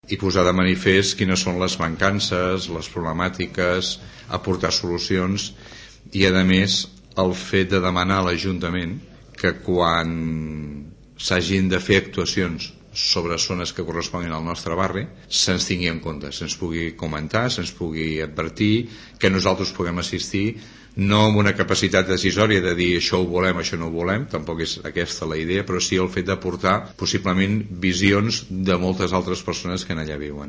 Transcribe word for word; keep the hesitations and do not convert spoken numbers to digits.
i posar de manifest quines són les mancances, les problemàtiques, aportar solucions i, a més, el fet de demanar a l'Ajuntament que quan s'hagin de fer actuacions sobre zones que corresponguin al nostre barri se'ns tingui en compte, se'ns pugui comentar, se'ns pugui advertir, que nosaltres puguem assistir, no amb una capacitat decisòria de dir això ho volem, això no ho volem, tampoc és aquesta la idea, però sí el fet d'aportar possiblement visions de moltes altres persones que en allà viuen.